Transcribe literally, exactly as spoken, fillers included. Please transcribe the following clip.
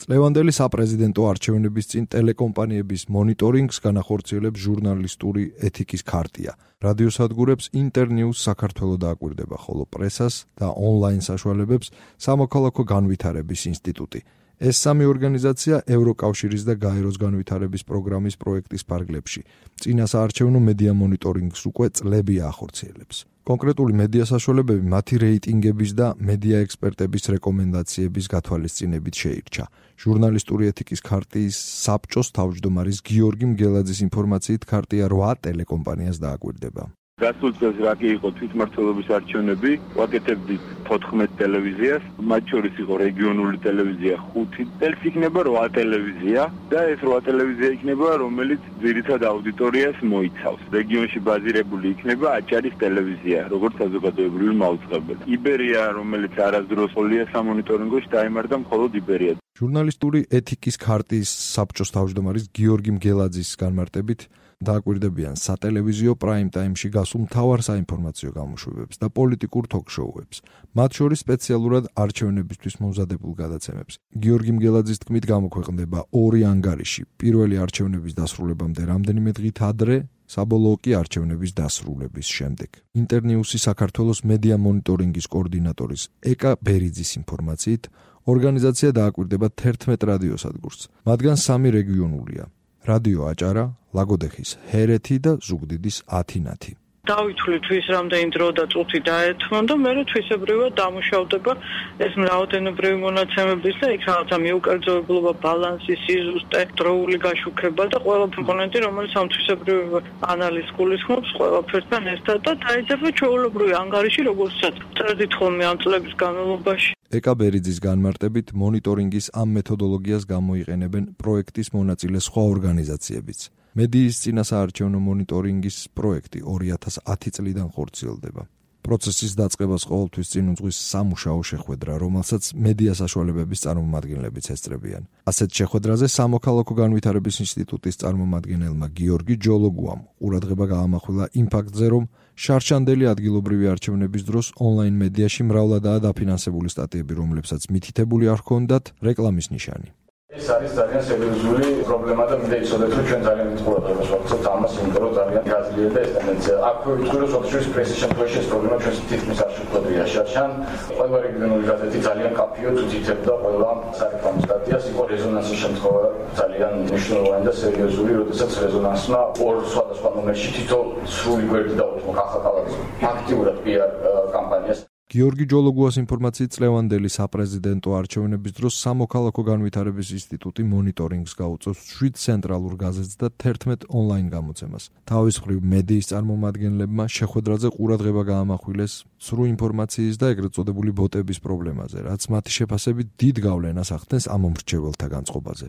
წლევანდელი საპრეზიდენტო არჩევნების წინ ტელეკომპანიების მონიტორინგს განახორციელებს ჟურნალისტური ეთიკის ქარტია. რადიოსადგურებს ინტერნიუს საქართველოს დააკვირდება, ხოლო პრესას და ონლაინ საშუალებებს სამოქალაქო განვითარების ინსტიტუტი. ეს სამი ორგანიზაცია ევროკავშირის და გაეროს განვითარების პროგრამის პროექტის ფარგლებში. წინა საარჩევნო მედია მონიტორინგს უკვე წლებია ახორციელებს. კონკრეტული მედია საშუალებები მათი რეიტინგების და მედია ექსპერტების რეკომენდაციების გათვალისწინებით შეირჩა. ჟურნალისტური ეთიკის ქარტიის საბჭოს თავმჯდომარის გიორგი მგელაძის ინფორმაციით ქარტია რვა ტელეკომპანიას დააკვირდება. გასულ წელს რა კი იყო თვითმმართველობის არჩევნები, ვაკეთებდით თოთხმეტ ტელევიზიას, მათ შორის იყო რეგიონული ტელევიზია ხუთი, წელს იქნება რვა ტელევიზია და ეს რვა ტელევიზია იქნება, რომელიც ძირითად აუდიტორიას მოიცავს. რეგიონში ბაზირებული იქნება აჭარის ტელევიზია, როგორც საზოგადოებრივი მაუწყებელი. იბერია, რომელიც არასდროს ყოლია სამონიტორინგოში, დაემართა მხოლოდ იბერია. ჟურნალისტური ეთიკის ქარტიის საბჭოს თავმჯდომარის გიორგი მგელაძის განმარტებით დააკვირდებიან სატელევიზიო პრაიმ ტაიმში გასულ მთავარ საინფორმაციო გამოშვებებს და პოლიტიკურ თოქ-შოუებს, მათ შორის სპეციალურად არჩევნებისთვის მომზადებულ გადაცემებს. გიორგი მგელაძის თქმით გამოქვეყნდება ორი ანგარიში, პირველი არჩევნების დასრულებამდე რამდენიმე დღით ადრე, საბოლოო კი არჩევნების დასრულების შემდეგ. ინტერნიუსი საქართველოს მედია მონიტორინგის კოორდინატორის ეკა ბერიძის ინფორმაციით, ორგანიზაცია დააკვირდება თერთმეტ რადიოსადგურს, მათგან სამი რეგიონულია. რადიო აჭარა, ლაგოდეხის ჰერეთი და ზუგდიდის ათინათი. დავითვლით თვის რამდენი დრო და წუთი დაეთმო და მე თვისებრივად დამუშავდება ეს მრავალდენებრივი მონაცემების და იქ რაღაცა მიუკერძოებლობა, ბალანსი, სიზუსტე, დროული გაშუქება და ყველა კომპონენტი, რომელიც ამ თვისებრივ ანალიზს გულისხმობს ყველაფერთან ერთად და დაიძაბა ჩვეულებრივი ანგარიში, როგორცაც წერდით ხოლმე ამ წლების განმავლობაში. ეკა ბერიძის განმარტებით მონიტორინგის ამ მეთოდოლოგიას გამოიყენებენ პროექტის მონაწილე სხვა ორგანიზაციებიც. მედიის წინასაარჩევნო მონიტორინგის პროექტი ორი ათას ათი წლიდან ხორციელდება. პროცესის დაწყებას ყოველთვის წინ უძღვის სამუშაო შეხვედრა, რომელსაც მედია საშუალებების წარმომადგენლებიც ესწრებიან. ასეთ შეხვედრაზე სამოქალაქო განვითარების ინსტიტუტის წარმომადგენელმა გიორგი ჯოლოგუამ ყურადღება გაამახვილა იმ ფაქტზე, რომ შარშანდელი ადგილობრივი არჩევნების დროს ონლაინ მედიაში მრავლადაა დაფინანსებული სტატიები, რომლებსაც მითითებული არ ჰქონდათ რეკლამის ნიშანი. ეს არის ძალიან სერიოზული პრობლემა და მინდა იცოდეთ, რომ ჩვენ ძალიან დიდ ყურადღებას ვაქცევთ ამას, იმიტომ რომ ძალიან გაძლიერდა ეს ტენდენცია. აქვე ვიტყვი, რომ სოფლის პრესის შემთხვევაში ეს პრობლემა ჩვენს თითქმის არ შეხვედრია შარშან. ყველა რეგიონული გაზეთი ძალიან კაფიოდ უთითებდა ყველა სარეკლამო სტატიას, იყო რეზონანსის შემთხვევა ძალიან მნიშვნელოვანი და სერიოზული, როდესაც რეზონანსმა ორ სხვადასხვა ნომერში თითო სრული გვერდი დაუთმო ახალქალაქის აქტიურად პიარ კამპანიას. გიორგი ჯოლოგუას ინფორმაციით წლევანდელი საპრეზიდენტო არჩევნების დროს სამოქალაქო განვითარების ინსტიტუტი მონიტორინგს გაუწევს შვიდ ცენტრალურ გაზეთს და თერთმეტ ონლაინ გამოცემას. თავის მხრივ მედიის წარმომადგენლებმა შეხვედრაზე ყურადღება გაამახვილეს სრულ ინფორმაციის და ეგრეთ წოდებული ბოტების პრობლემაზე, რაც მათი შეფასებით დიდ გავლენას ახდენს ამ მომრჩეველთა განწყობაზე.